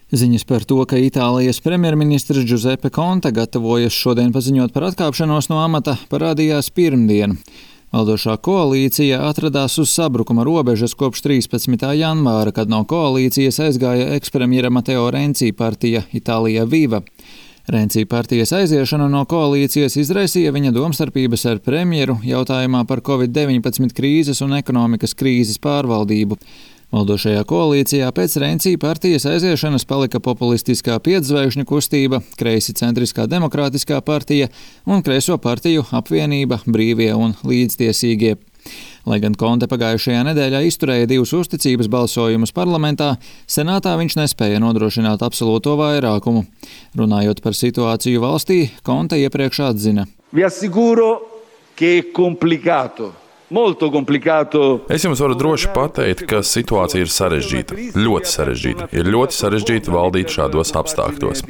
Ziņas par to, ka Itālijas premjerministrs Giuseppe Conte gatavojas šodien paziņot par atkāpšanos no amata, parādījās pirmdien. Valdošā koalīcija atradās uz sabrukuma robežas kopš 13. janvāra, kad no koalīcijas aizgāja ekspremjera Matteo Renzi partija Itālija Viva. Renzi partijas aiziešana no koalīcijas izraisīja viņa domstarpības ar premjeru jautājumā par Covid-19 krīzes un ekonomikas krīzes pārvaldību. Valdošajā koalīcijā pēc Renzi partijas aiziešanas palika populistiskā pietzvaigžņu kustība, kreisi centriskā demokrātiskā partija un kreiso partiju apvienība Brīvie un līdztiesīgie. Lai gan Conte pagājušajā nedēļā izturēja 2 uzticības balsojumus parlamentā, senātā viņš nespēja nodrošināt absolūto vairākumu. Runājot par situāciju valstī, Conte iepriekš atzina: Vi assicuro che è complicato. Es jums varu droši pateikt, ka situācija ir sarežģīta, ļoti sarežģīta. Ir ļoti sarežģīti valdīt šādos apstākļos.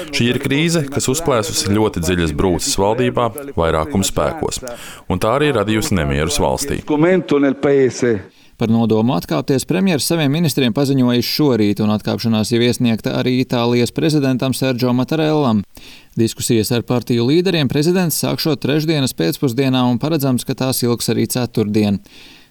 Šī ir krīze, kas uzplēsusi ļoti dziļas brūces valdībā, vairākuma spēkos, un tā arī radījusi nemierus valstī. Par nodomu atkāpties premjers saviem ministriem paziņojis šorīt, un atkāpšanās jau iesniegta arī Itālijas prezidentam Sergio Mattarellam. Diskusijas ar partiju līderiem prezidents sākšot trešdienas pēcpusdienā un paredzams, ka tās ilgs arī ceturtdien.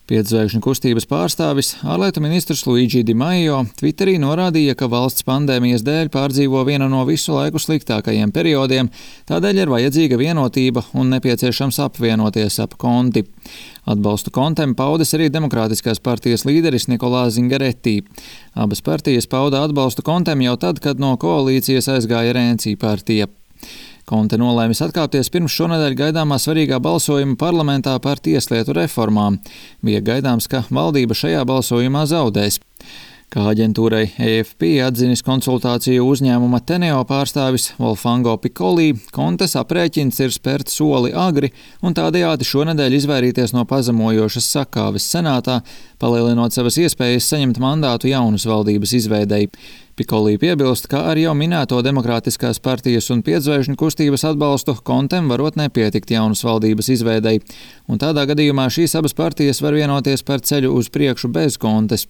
Pietzvaigžņu kustības pārstāvis, ārlietu ministrs Luigi Di Maio, Twitterī norādīja, ka valsts pandēmijas dēļ pārdzīvo vienu no visu laiku sliktākajiem periodiem, tādēļ ir vajadzīga vienotība un nepieciešams apvienoties ap Conti. Atbalstu Contem paudas arī Demokrātiskās partijas līderis Nicolò Zingaretti. Abas partijas pauda atbalstu Contem jau tad, kad no koalīcijas aizgāja Renzi partija. Conte nolēmis atkāpties pirms šonedēļ gaidāmā svarīgā balsojuma parlamentā par tieslietu reformām. Bija gaidāms, ka valdība šajā balsojumā zaudēs. Kā aģentūrai AFP atzinis konsultāciju uzņēmuma Teneo pārstāvis Volfango Piccoli, Contes aprēķins ir spērt soli agri un tādējādi šonedēļ izvairīties no pazemojošas sakāves senātā, palielinot savas iespējas saņemt mandātu jaunas valdības izveidei. Piccoli piebilst, ka ar jau minēto Demokrātiskās partijas un pietzvaigžņu kustības atbalstu Contem varot nepietikt jaunas valdības izveidei, un tādā gadījumā šīs abas partijas var vienoties par ceļu uz priekšu bez Contes.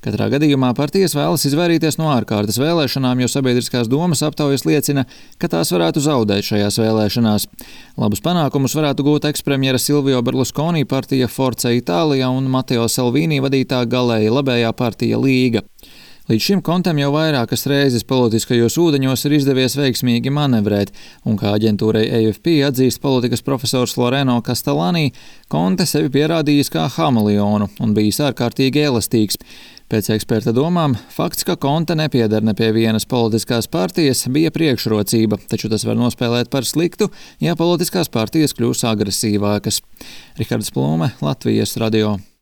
Katrā gadījumā partijas vēlas izvairīties no ārkārtas vēlēšanām, jo sabiedriskās domas aptaujas liecina, ka tās varētu zaudēt šajās vēlēšanās. Labus panākumus varētu gūt ekspremjera Silvio Berlusconi partija Forza Italia un Matteo Salvini vadītā galēji labējā partija Līga. Līdz šim Contem jau vairākas reizes politiskajos ūdeņos ir izdevies veiksmīgi manevrēt, un kā aģentūrai AFP atzīst politikas profesors Loreno Castellani, Conte sevi pierādījis kā hameleonu un bijis ārkārtīgi elastīgs. Pēc eksperta domām, fakts, ka Conte nepieder ne pie vienas politiskās partijas, bija priekšrocība, taču tas var nospēlēt par sliktu, ja politiskās partijas kļūs agresīvākas. Rihards Plūme, Latvijas radio.